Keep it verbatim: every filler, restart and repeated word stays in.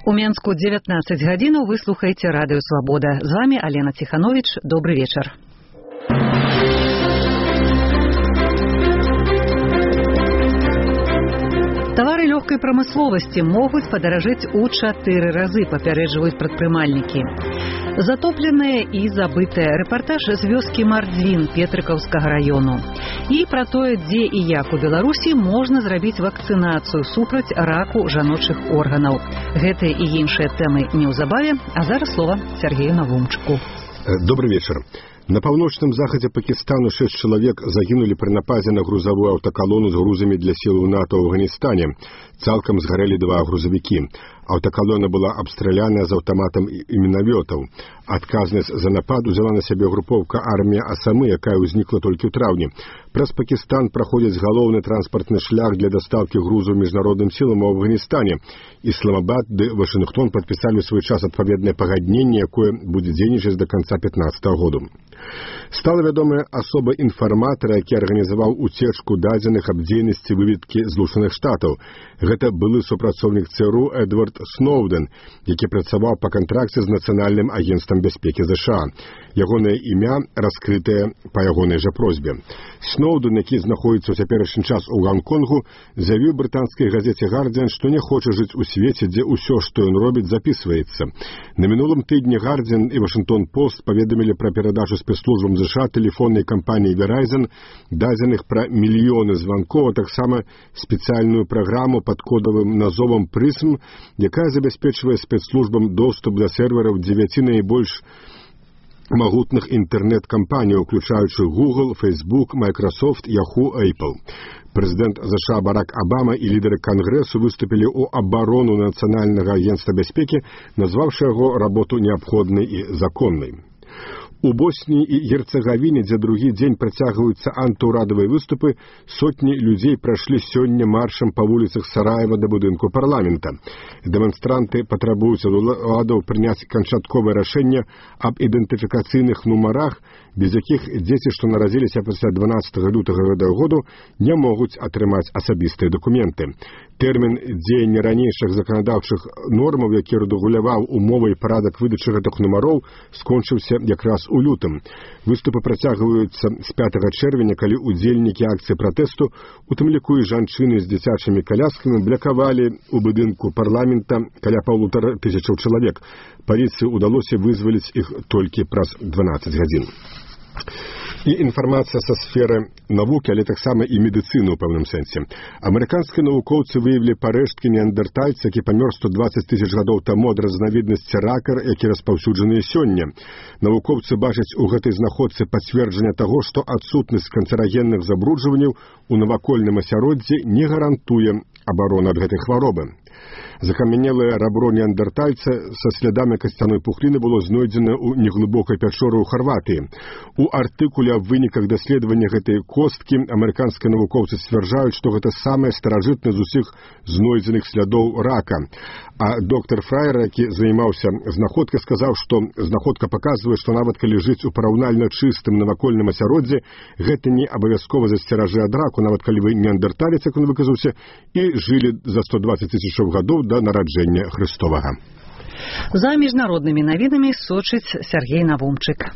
У Менску дзевятнаццаць гадзінаў вы слухаеце радыё Свабода. З вами Алена Тиханович. Добрый вечер. Товары легкой промысловости могут подорожать у чатыры разы, папярэджваюць прадпрымальнікі. Затопленная и забытая. Репортаж з вёскі Мардзвін Петрыкаўскага району. И про тое, дзе і як у Беларусі можна зрабіць вакцынацыю супраць раку жаночых органаў. Гэтыя і іншыя тэмы неўзабаве, а зараз слова Сергею Навумчыку. Добрый вечер. На паўночным захадзе Пакістану шэсць чалавек загінулі пры нападзе на грузавую аўтакалону з грузамі для сілаў НАТО ў Афганістане. Цалкам згарэлі два грузавікі. Аўтакалона была абстраляная з аўтаматам і мінавётаў. Адказнасць за напад узяла на сябе групоўка армія Асамы, якая ўзнікла толькі ў траўні. Праз Пакістан праходзіць галоўны транспартны шлях для дастаўкі грузу міжнародным сілам у Афганістане. Ісламабад ды Вашынгтон падпісалі ў свой час адпаведнае пагадненне, якое будзе дзейнічаць да канца пятнаццатага году. Стала вядомая асоба інфарматара, які арганізаваў уцечку дадзеных аб дзейнасці выведкі Злучаных Штатаў. Гэта былы супрацоўнік ЦРУ Эдвард Сноуден, які працаваў па кантракце з Нацыянальным агенцтвам бяспекі ЗША. Ягонае імя раскрытае па ягонай жа просьбе. Сноуден, які знаходзіцца ў цяперашні час у Гонконгу, заявіў брытанскай газеце «Гардзіан», што не хоча жыць у свеце, дзе ўсё, што ён робіць, запісваецца. На мінулым тыдні «Гардзіан» і «Вашынгтон-Пост» паведамілі пра перадачу спецслужбам ЗША тэлефоннай кампаніі Verizon дадзеных пра мільёны званкоў, а таксама спецыяльную праграму пад кодавым назовам «Прызм», якая забяспечвае спецслужбам доступ да сервераў дзевяці найбольш магутных інтэрнэт-кампаній, уключаючы Google, Facebook, Microsoft, Yahoo, Apple. Прэзідэнт ЗША Барак Абама і лідары Кангрэсу выступілі ў абарону Нацыянальнага агенцтва бяспекі, назваўшы яго работу неабходнай і законнай. У Босніі і Герцагавіне, дзе другі дзень працягваюцца антыўрадавыя выступы, сотні людзей прайшлі сёння маршам па вуліцах Сараева да будынку парламента. Дэманстранты патрабуюць ад уладаў прыняць канчатковае рашэнне аб ідэнтыфікацыйных нумарах, без якіх дзеці, што нарадзіліся пасля дванаццатага лютага гэтага году, не могуць атрымаць асабістыя дакументы. Тэрмін дзеяння ранейшых заканадаўчых нормаў, які рэгуляваў умовы і парадак выдачы гэтых нумароў, скончыўся якраз у лютым. Выступы працягваюцца з пятага чэрвеня, калі удзельнікі акцыі пратэсту, у тым ліку і жанчыны з дзіцячымі каляскамі, блякавалі ў будынку парламента каля паўтара тысячаў чалавек. Паліцыі ўдалося вызваліць іх толькі праз дванаццаць гадзін. І інфармацыя са сферы навукі, але таксама і медыцыны ў пэўным сэнсе. Амерыканскія навукоўцы выявілі парэшткі неандэртальца, які памёр сто дваццаць тысяч гадоў таму ад разнавіднасці рака, які распаўсюджаныя сёння. Навукоўцы бачаць у гэтай знаходцы пацверджанне таго, што адсутнасць канцэрагенных забруджванняў у навакольным асяроддзі не гарантуе абарону ад гэтай хваробы. Закамянелае рабро неандэртальца са слядамі касцяной пухліны было знойдзена ў неглыбокай пячоры ў Харватыі. У артыкуле аб выніках даследавання гэтай косткі амерыканскія навукоўцы сцвярджаюць, што гэта самае старажытнае з усіх знойдзеных слядоў рака. А доктар Фраер, які займаўся знаходкай, сказаў, што знаходка паказвае, што нават калі жыць у параўнальна чыстым навакольным асяроддзі, гэта не абавязкова засцеражы ад раку, нават калі вы неандэрталец, як ён выказаўся, і жылі за сто дваццаць тысячаў гадоў да нараджэння Христовага. За міжнароднымі навінамі сочыць Сергей Навумчык.